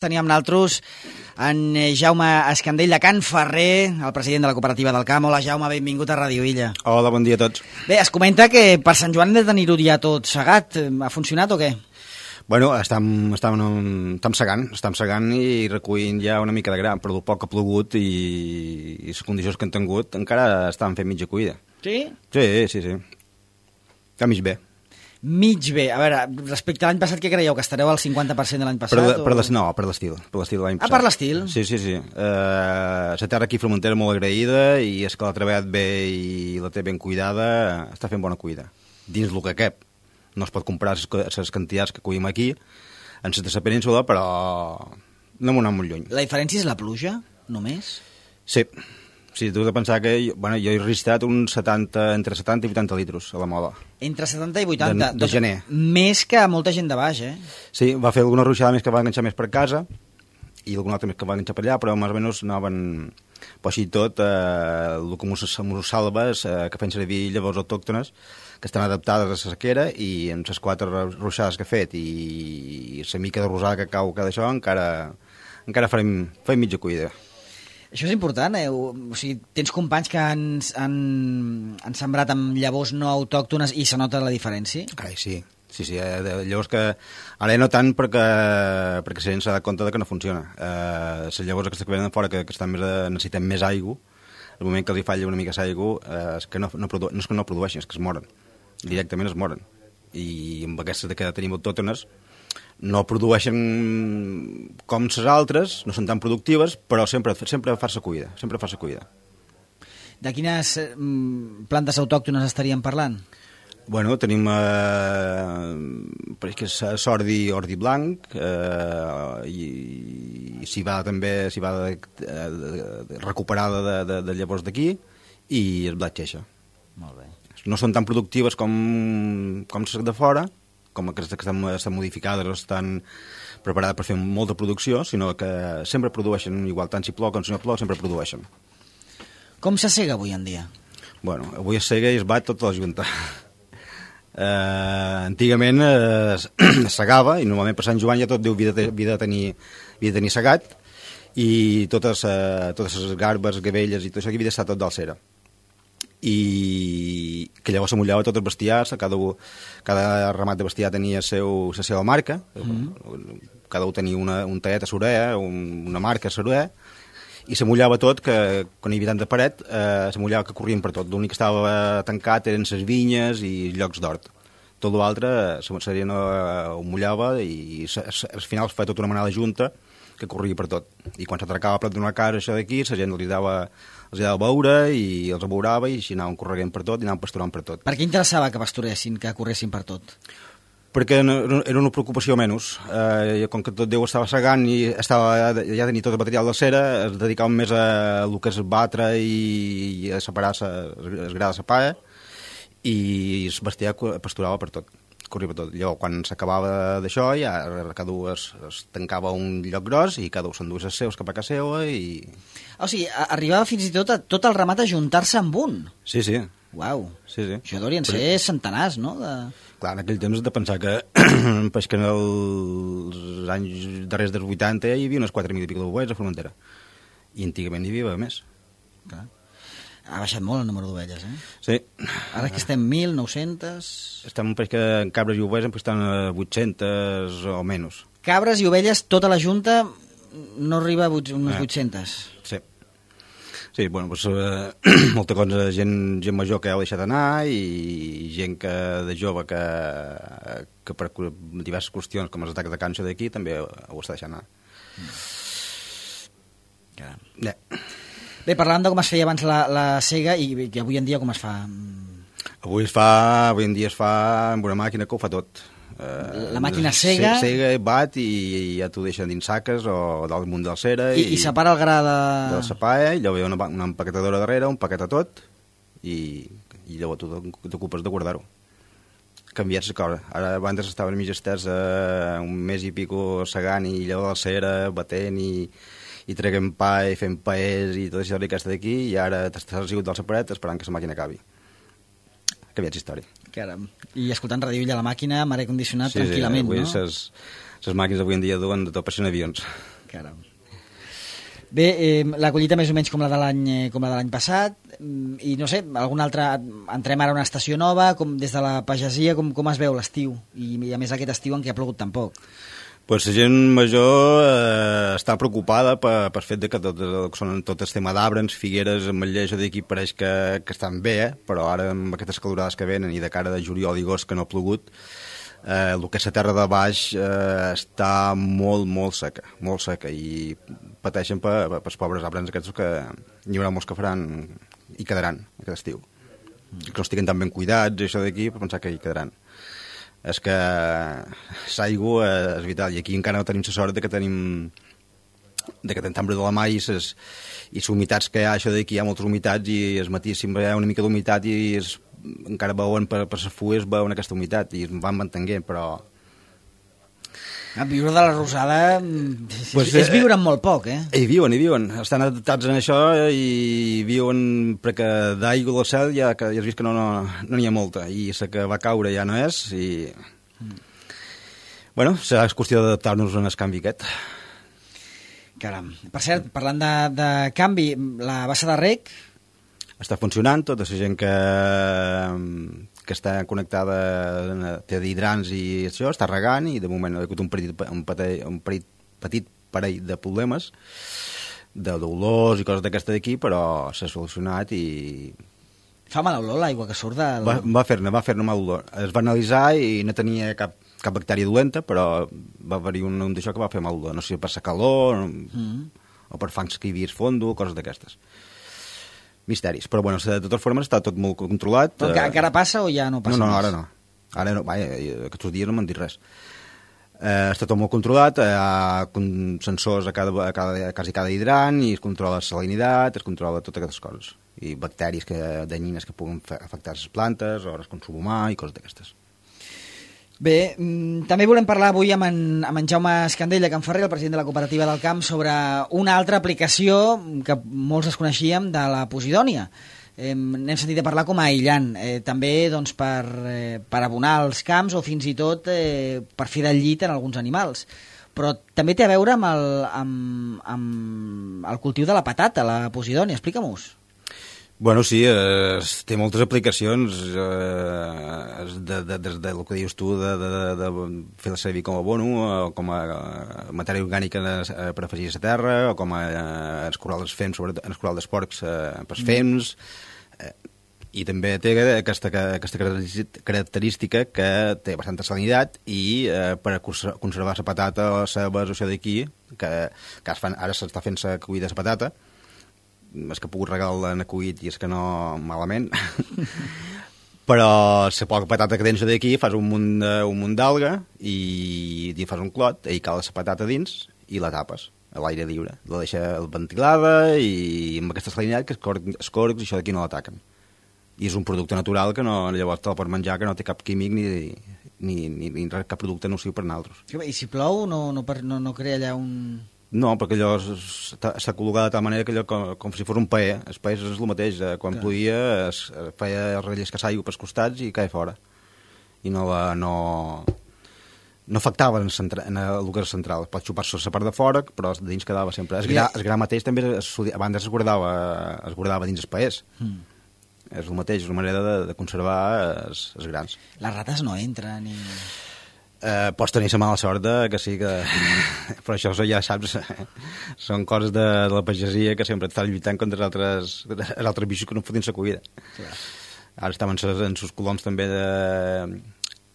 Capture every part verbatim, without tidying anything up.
Teníem naltros en Jaume Escandell de Can Ferrer, el president de la cooperativa del Camp. Hola, Jaume, benvingut a Ràdio Illa. Hola, bon dia a tots. Bé, es comenta que per Sant Joan hem de tenir-ho ja tot segat. Ha funcionat o què? Bueno, estem, estem, estem segant, estem segant i recollint ja una mica de gra, però el poc que ha plogut i, i les condicions que han tingut encara estan fent mitja cuida. Sí? Sí, sí, sí. Està mig bé. Mig bé. A veure, respecte a l'any passat, què creieu? Que estareu al cinquanta per cent de l'any passat? Per, o... per les, no, per l'estil. Per l'estil de l'any ah, passat. per l'estil? Sí, sí, sí. Uh, la terra aquí a Formentera molt agraïda i és que l'ha treballat bé i la té ben cuidada, està fent bona cuida. Dins el que cap. No es pot comprar les quantitats que collim aquí en la de la península, però no m'ho anem molt lluny. La diferència és la pluja, només? Sí. Sí, tu has de pensar que jo, bueno, jo he registrat uns setanta, entre setanta i vuitanta litros a la moda. Entre setanta i vuitanta? De, de gener. Més que molta gent de baix, eh? Sí, va fer alguna ruixada més que va enganxar més per casa i alguna altra més que va enganxar per allà, però més o menys anaven... Però així tot, eh, el que mos salves, eh, que fem servir llavors autòctones, que estan adaptades a la sequera, i amb les quatre ruixades que he fet i la mica de rosada que cau cada això, encara, encara farem, farem mitja cuida. Això és important, eh? O sigui, tens companys que han, han, han sembrat amb llavors no autòctones i se nota la diferència? Carai, sí. Sí, sí, eh, llavors que... Ara no tant perquè, perquè la gent s'ha dat compte que no funciona. Eh, les llavors aquestes que venen fora, que, que estan més, necessiten més aigua, el moment que els hi falla una mica d'aigua, eh, és que no, no, produ... no és que no produeixen, és que es moren. Directament es moren. I amb aquestes que tenim autòctones no produeixen com les altres, no són tan productives, però sempre, sempre fa la cuida, sempre fa la cuida. De quines eh, plantes autòctones estaríem parlant? Bueno, tenim eh, que és ordi, ordi blanc, eh, i, i s'hi va també s'hi va de, de, de, recuperada de, de, de llavors d'aquí, i el blat xeixa. Molt bé. No són tan productives com, com les de fora, com aquestes que estan, estan modificades o estan preparades per fer molta producció, sinó que sempre produeixen, igual tant si plou com si no plou, sempre produeixen. Com se sega avui en dia? Bueno, avui es sega i es bat tota la junta. Eh, antigament eh, es segava, i normalment per Sant Joan ja tot Déu havia de, havia de, tenir, havia de tenir segat, i totes, eh, totes les garbes, gavelles i tot això havia d'estar tot d'alcera. I que llavors s'amullava tot el bestiar, cada, cada ramat de bestiar tenia seu, la seva marca, mm-hmm. Cada un tenia una, un taet a l'orella, un, una marca a l'orella, i s'amullava tot, que quan hi havia tant de paret, eh, s'amullava que corrien per tot. L'únic que estava tancat eren les vinyes i llocs d'hort. Tot l'altre seria no ho mullava i al final es feia tota una manada junta que corria per tot. I quan s'atracava a prop d'una casa això d'aquí, la gent els dava, els dava a veure i els abeurava i així anaven corregent per tot i anaven pasturant per tot. Per què interessava que pasturessin, que corressin per tot? Perquè era una preocupació menys. Eh, com que tot Déu estava segant i estava, ja tenia tot el material de cera, es dedicaven més a el que és batre i, i a separar el gra de la paia, i el bestiar pasturava per tot, corria per tot. Llavors, quan s'acabava d'això, ja cada un es, es tancava un lloc gros i cada un s'enduia els seus cap a casa seva i... O sigui, arribava fins i tot a, tot el ramat a juntar-se amb un. Sí, sí. Uau, sí, sí. Això deurien ser Però... centenars, no? De... Clar, en aquell temps has de pensar que, pues que en els anys darrers dels vuitanta hi havia unes quatre mil i pico d'ovelles a Formentera. I antigament hi havia més. Clar. Ha baixat molt el número d'ovelles, eh? Sí. Ara que estem mil nou-cents... Estem, pues, que en cabres i ovelles estan a vuit-centes o menys. Cabres i ovelles, tota la junta no arriba a unes eh. vuit-centes. Sí. Sí, bueno, doncs, eh, molta cosa, gent, gent major que heu deixat anar i gent que, de jove que, que per diverses qüestions, com els atacs de càncer d'aquí, també ho està deixant anar. Caram. Yeah. Bé, parlant de com es feia abans la, la sega i que avui en dia com es fa? Avui es fa, avui en dia es fa amb una màquina que ho fa tot. La màquina sega... Sega, bat i, i ja t'ho deixen dins saques o dalt munt de la cera. I, i, i separa el gra de... De la sapaia, i llavors hi ha una, una empaquetadora darrere, un paquet a tot, i, i llavors tu t'ocupes de guardar-ho. Canviat la cosa. Ara abans estaven mig estès eh, un mes i pico segant i llavors la cera, batent i, i treguent pa i fent paers i tot això d'aquesta d'aquí, i ara t'estàs sigut del separet esperant que la màquina acabi. Canviat la història. Caram. I escoltant Ràdio Illa a la màquina, amb aire condicionat, sí, tranquil·lament, sí, no? Ses, les màquines avui en dia duen de tot per cent avions. Caram. Bé, eh, la collita més o menys com la de l'any eh, com la de l'any passat, i no sé, algun altre, entrem ara a una estació nova, com des de la pagesia, com, com es veu l'estiu? I, I a més aquest estiu en què ha plogut tan poc. Pues la gent major eh, està preocupada per, per fet de que tot, són tot el tema d'arbres, figueres, ametllers, d'aquí pareix que, que estan bé, eh? Però ara amb aquestes calorades que venen i de cara de juliol i agost que no ha plogut, eh, el que és la terra de baix eh, està molt, molt seca, molt seca, i pateixen per, per, per els pobres arbres aquests que hi haurà molts que faran i quedaran aquest estiu. Mm. Que no estiguen tan ben cuidats, això d'aquí, per pensar que hi quedaran. És que l'aigua és vital, i aquí encara no tenim la sort de que tenim de que tenim tambre de la mà i les i les humitats que hi ha, això d'aquí hi ha moltes humitats, i el matí sempre hi ha una mica d'humitat i es, encara veuen per, per les fulles veuen aquesta humitat i es van mantenint, però a viure de la rosada és, pues, és viure amb molt poc, eh? Hi viuen, hi viuen, estan adaptats en això i viuen, perquè d'aigua del cel ja, que ja has vist que no n'hi no, no ha molta, i la que va caure ja no és, i mm. bueno, serà qüestió d'adaptar-nos en el canvi aquest. Caram. Per cert, parlant de, de canvi, la bassa de rec està funcionant, tota la gent que que està connectada, té hidrants i això, està regant, i de moment ha hagut un petit, un petit, un petit, petit parell de problemes, de dolors i coses d'aquesta d'aquí, però s'ha solucionat i... Fa mala olor l'aigua que surt del... Va, va fer-ne, va fer-ne mal olor. Es va analitzar i no tenia cap, cap bactèria dolenta, però va haver-hi un, un d'això que va fer mal olor. No sé si per la calor, mm. o per fangs que hi havia fondo, coses d'aquestes. Misteris, però bueno, de totes formes està tot molt controlat. Però que, encara passa o ja no passa? No, no, més? ara no. Ara no, vaja, aquests dies no m'han dit res. Eh, està tot molt controlat, hi ha sensors a cada, a cada, quasi cada hidrant, i es controla la salinitat, es controla totes aquestes coses. I bacteris que, danyines que puguen afectar les plantes, o el consum humà i coses d'aquestes. Bé, també volem parlar avui amb en, amb en Jaume Escandell de Can Ferrer, el president de la Cooperativa del Camp, sobre una altra aplicació que molts desconeixíem de la posidònia. Eh, n'hem sentit a parlar com a aïllant, eh, també doncs, per, eh, per abonar els camps o fins i tot eh, per fer del llit en alguns animals. Però també té a veure amb el, amb, amb el cultiu de la patata, la posidònia. Explica-m'ho. Bueno, sí, eh, té moltes aplicacions, eh, de, de, de, de, del que dius tu, de, de, de fer-la servir com a abono, o com a matèria orgànica per afegir a la terra, o com a eh, escurar els fems, sobretot en escurar els porcs eh, pels fems, eh, i també té aquesta, aquesta característica que té bastanta salinitat, i eh, per conservar la patata o la cebes o això d'aquí, que, que fan, ara s'està fent la cuida de la patata, és que ha pogut regar en acuït i és que no malament, però la poca patata que tens d'aquí fas un munt, de, un munt d'alga i, i fas un clot, i cala la patata dins i la tapes a l'aire lliure, la deixa ventilada i amb aquesta salinitat que els corcs i això d'aquí no l'ataquen, i és un producte natural que no, llavors te la pots menjar, que no té cap químic ni, ni, ni, ni cap producte nociu per nosaltres. I si plou no, no, no, no crea allà un... No, perquè allò s'ha col·locat de tal manera que allò com, com si fos un paer. El paer és el mateix. Quan Clar. ploïa es feia relliscar aigua pels costats i caia fora. I no, la, no, no afectava en, centra, en el que és central. Pot xupar-se la part de fora, però dins quedava sempre. El gra, el gra mateix també es, abans es guardava, es guardava dins els paers. Mm. És el mateix, és una manera de, de conservar els, els grans. Les rates no entren i... Eh, pots tenir la mala sort de, que sí que... però això ja saps, són coses de, de la pagesia que sempre estan lluitant contra els altres, els altres bichos que no fotin la cuida. Clar. Ara estaven en sus coloms també de...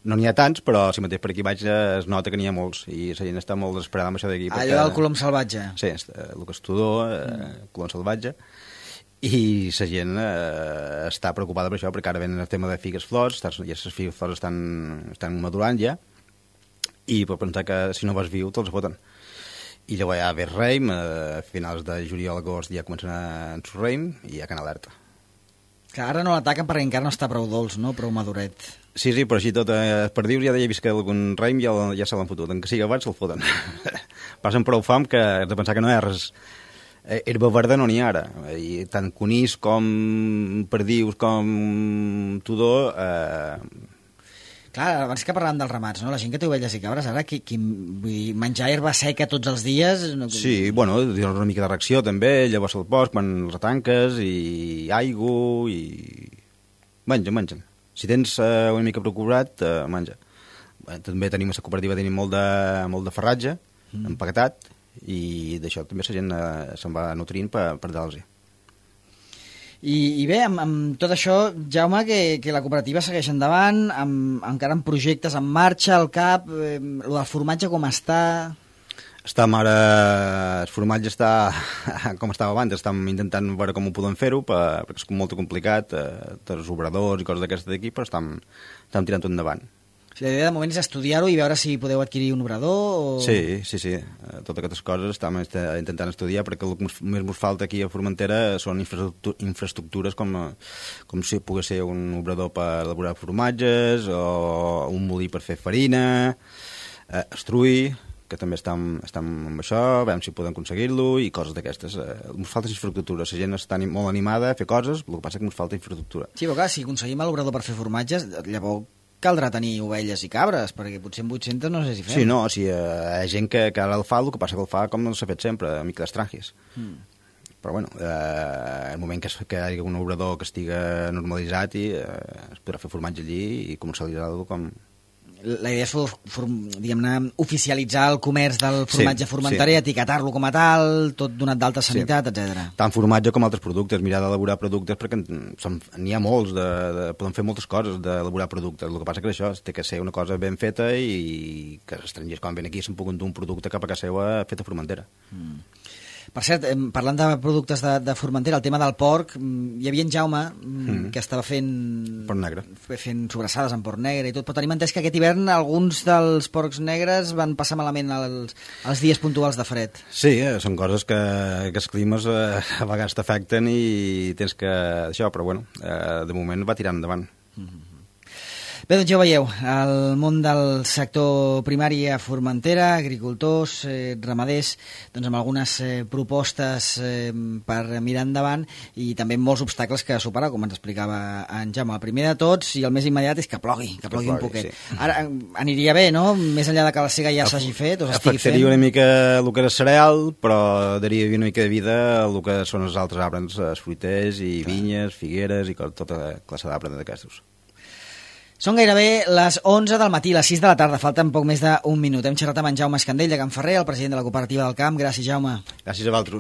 no n'hi ha tants, però si mateix per aquí baix es nota que n'hi ha molts i la gent està molt desesperada amb això d'aquí. Ah, allò del colom salvatge. Sí, el que és tudor, eh, colom salvatge, i la gent eh, està preocupada per això, perquè ara venen el tema de figues flors, ja les figues flors estan, estan madurant ja, i per pensar que si no vas viu te'ls foten. I llavors ja ve Reim, a finals de juliol, agost ja comencen a ençur Reim i ja can alerta. Que ara no l'ataquen perquè encara no està prou dolç, no? Prou maduret. Sí, sí, però així tot, eh, per dir-ho, ja he vist que algun Reim ja, ja se l'han fotut, en que sigui abans se'l foten. Passen prou fam que has de pensar que no hi ha res... Herba verda no n'hi ha ara, i tant conís com perdius com tudor... Eh, Clar, abans que parlàvem dels ramats, no? La gent que té ovelles i cabres, ara, qui, qui, vull dir, menjar herba seca tots els dies... No... Sí, bueno, una mica de reacció també, llavors al bosc, quan els retanques, i aigua, i... Menja, menja. Si tens uh, una mica procurat, uh, menja. Bé, també tenim a la cooperativa tenim molt de, molt de farratge, mm. empaquetat, i d'això també la gent uh, se'n va nutrint per, per dar-los-hi. I, i bé, amb, amb tot això, Jaume, que, que la cooperativa segueix endavant, amb, encara amb projectes en marxa, al cap, eh, el del formatge com està... Està ara, el formatge està com estava abans, estem intentant veure com ho podem fer-ho, perquè és molt complicat, eh, els obradors i coses d'aquestes d'aquí, però estem, estem tirant tot endavant. O sigui, la idea de moment és estudiar-ho i veure si podeu adquirir un obrador o... Sí, sí, sí. Totes aquestes coses estem intentant estudiar perquè el que més ens falta aquí a Formentera són infraestructures com, com si pogués ser un obrador per elaborar formatges o un molí per fer farina, eh, estruir, que també estem, estem amb això, veiem si podem aconseguir-lo i coses d'aquestes. Eh, ens falta infraestructura, la gent està molt animada a fer coses, el que passa és que ens falta infraestructura. Sí, però clar, si aconseguim l'obrador per fer formatges, llavors caldrà tenir ovelles i cabres, perquè potser en vuit-centes no sé si fem. Sí, no, o sigui, hi ha gent que, que ara el fa, el que passa que el fa com s'ha fet sempre, a mica d'estranges. Mm. Però bueno, eh, el moment que, que hi hagi un obrador que estigui normalitzat i eh, es podrà fer formatge allí i comercialitzar-lo com... La idea és for, for, diguem-ne, oficialitzar el comerç del formatge sí, formenterer, sí. etiquetar-lo com a tal, tot donat d'alta sanitat, sí. etcètera. Tant formatge com altres productes, mirar d'elaborar productes, perquè n'hi ha molts, de, de, podem fer moltes coses d'elaborar productes. El que passa que això té que ser una cosa ben feta i que els estrangers quan ven aquí se'n puguin dur un producte cap a casa seva fet a Formentera. Mm. Per cert, parlant de productes de, de Formentera, el tema del porc, hi havia en Jaume mm. que estava fent... Porc negre. Fent sobrassades amb porc negre i tot, però tenim entès que aquest hivern alguns dels porcs negres van passar malament els, els dies puntuals de fred. Sí, eh, són coses que, que els climes eh, a vegades t'afecten i tens que... Això, però bueno, eh, de moment va tirant endavant. Mm-hmm. Bé, doncs ja ho veieu, el món del sector primari a Formentera, agricultors, eh, ramaders, doncs amb algunes eh, propostes eh, per mirar endavant i també molts obstacles que superar, com ens explicava en Jaume. El primer de tots i el més immediat és que plogui, que plogui, que plogui un poquet. Sí. Ara aniria bé, no?, més enllà de que la sega ja s'hagi fet o s'estigui fent. Afectaria una mica el que és cereal, però daria una mica de vida al que són els altres arbres, els fruiters i Clar. vinyes, figueres i tota classe d'arbres d'aquestos. Són gairebé les onze del matí, les sis de la tarda, falten poc més d'un minut. Hem xerrat amb en Jaume Escandell de Can Ferrer, el president de la cooperativa del camp. Gràcies, Jaume. Gràcies a vosaltres.